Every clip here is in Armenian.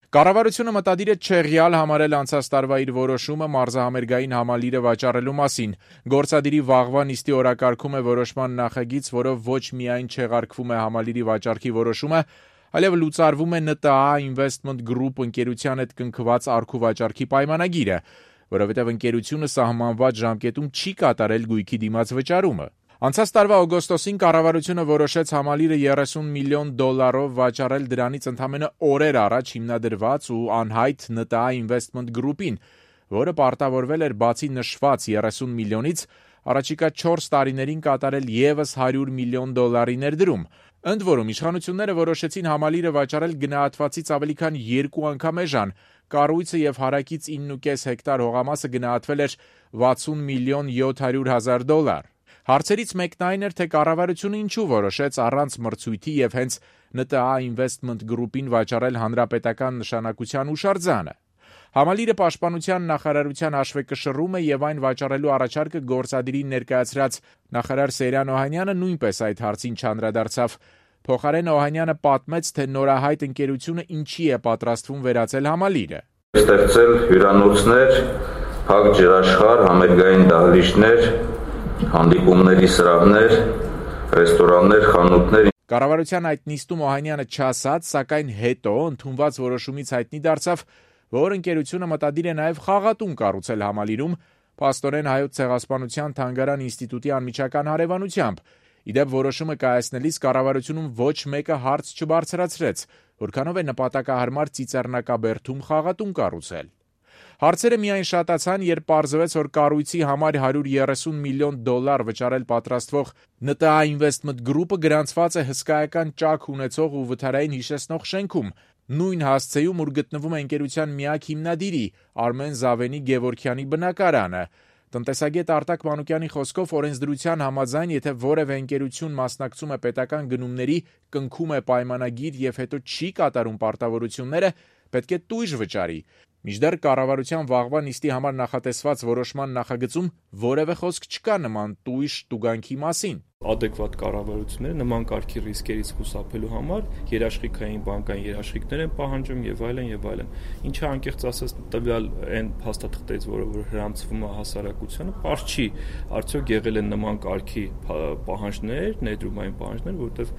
Կառավարությունը մտադիր է չեղյալ համարել անցած տարվա իր որոշումը մարզահամերգային համալիրը վաճառելու մասին։ Գործադիրի վաղվա նիստի օրակարգում է որոշման նախագիծ, որով ոչ միայն չեղարկվում է համալիրի վաճառքի որոշումը, այլև լուծարվում է ՆՏԱ Investment Group ընկերության հետ կնքված առքուվաճառքի պայմանագիրը, որովհետև ընկերությունը սահմանված ժամկետում չի կատարել գույքի դիմաց վճարումը։ Անցած տարվա օգոստոսին կառավարությունը որոշեց համալիրը $30 միլիոն վաճառել դրանից ընդամենը օրեր առաջ հիմնադրված ու անհայտ ՆՏԱ Investment Group-ին, որը պարտավորվել էր բացի նշված $30 միլիոնից առաջիկա 4 տարիներին կատարել ևս $100 միլիոն ներդրում։ Ընդ որում, իշխանությունները որոշեցին համալիրը վաճառել գնահատվածից ավելի քան 2 անգամ էժան։ Կառույցը եւ հարակից 9.5 հեկտար հողամասը գնահատվել էր $60 միլիոն $700,000։ Հարցերից մեկն այն էր, թե կառավարությունը ինչու որոշեց առանց մրցույթի եւ հենց ՆՏԱ Investment Group-ին վաճառել հանրապետական նշանակության հուշարձանը։ Համալիրը պաշտպանության նախարարության հաշվեկշռում է եւ այն վաճառելու առաջարկը գործադիրին ներկայացրած նախարար Սեյրան Օհանյանը նույնպես այդ հարցին չանդրադարձավ։ Փոխարեն Օհանյանը պատմեց, թե նորահայտ ընկերությունը ինչի է պատրաստվում վերածել համալիրը։ Ստեղծել հյուրանոցներ, փակ ջրաշխարհ, համերգային դահլիճներ, հանդիպումների սրահներ, ռեստորաններ, խանութներ։ Կառավարության այդ նիստում Օհանյանը չասաց, սակայն հետո ընդունված որոշումից հայտնի դարձավ, որ ընկերությունը մտադիր է նաև խաղատուն կառուցել համալիրում, փաստորեն Հայոց ցեղասպանության թանգարան ինստիտուտի անմիջական հարևանությամբ։ Իդեպ որոշումը կայացնելիս կառավարությունում ոչ մեկը հարց չբարձրացրեց, որքանով է նպատակահարմար Ծիծեռնակաբերդում խաղատուն կառուցել։ Հարցերը միայն շատացան, երբ պարզվեց, որ կառույցի համար $130 միլիոն վճարել պատրաստվող ՆՏԱ Investment Group-ը գրանցված է հսկայական ճաք ունեցող ու վթարային հիշեցնող շենքում, նույն հասցեում, ուր գտնվում է ընկերության միակ հիմնադիրի Արմեն Զավենի Գևորգյանի բնակարանը։ Տնտեսագետ Արտակ Մանուկյանի խոսքով օրենսդրության համաձայն, եթե որևէ ընկերություն մասնակցում է պետական գնումների, կնքում է պայմանագիր եւ հետո չի կատարում պարտավորությունները, պետք է տույժ վճարի։ Մինչդեռ կառավարության վաղվա նիստի համար նախատեսված որոշման նախագծում որևէ խոսք չկա նման տույժ տուգանքի մասին։ Adekvat կառավարությունները նման կարգի ռիսկերից խուսափելու համար երաշխիքային բանկային երաշխիքներ են պահանջում եւ այլն։ Ինչը անկեղծ ասած տվյալ այն փաստաթղթերից, որը հрамծվում է հասարակությանը, պարզ չի, արդյոք եղել են նման կարգի պահանջներ, ներդրումային պահանջներ, որտեղ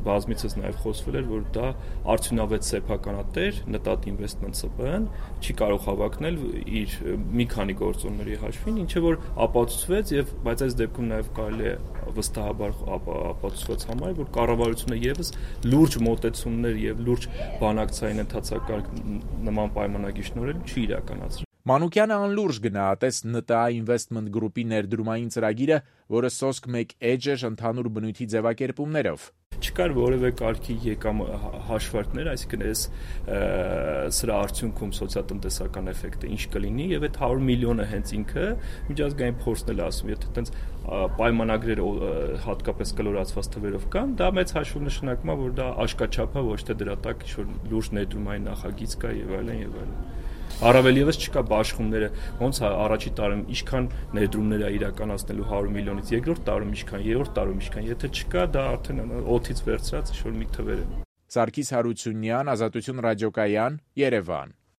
բազմիցս նաեւ խոսվել էր, որ դա արդյունավետ սեփականատեր ՆՏԱ Investment ՍՊԸ-ն չի կարող հավակնել իր մի քանի գործոնների հաշվին, ինչը որ ապացուցվեց բայց այս դեպքում նաեւ կարելի է վստահաբար ապացուցված համար, որ կառավարությունը եւս լուրջ մոտեցումներ եւ լուրջ բանակցային ընթացակարգ նման պայմանագիր շնորհել չի իրականացրել։ Մանուկյանը անլուրջ գնահատեց ՆՏԱ Investment Group-ի ներդրումային ծրագիրը, որը սոսկ մեկ էջ էր ընդհանուր բնույթի ձևակերպումներով։ Չկար որևէ կարգի եկամ հաշվարկներ, այսինքն սրա արդյունքում սոցիալ-տնտեսական էֆեկտը ինչ կլինի եւ այդ 100 միլիոնը հենց ինքը միջազգային փորձն էլ ասում, եթե այտենց պայմանագրերը հատկապես կլորացված թվերով կան, դա մեծ հաշվով նշանակում է, որ դա աշկաչափ է, ոչ թե դրա տակ ինչ-որ լուրջ ներդրումային նախագիծ կա եւ այլն։ Առավել եւս չկա բաշխումները, ոնց առաջի տարում ինչքան ներդրումներ է իրականացնելու 100 միլիոնից, երկրորդ տարում ինչքան, երրորդ տարում ինչքան, եթե չկա, դա արդեն օդից վերցրած ինչ-որ մի թվեր է։ Սարգիս Հարությունյան, Ազատություն ռադիոկայան, Երևան։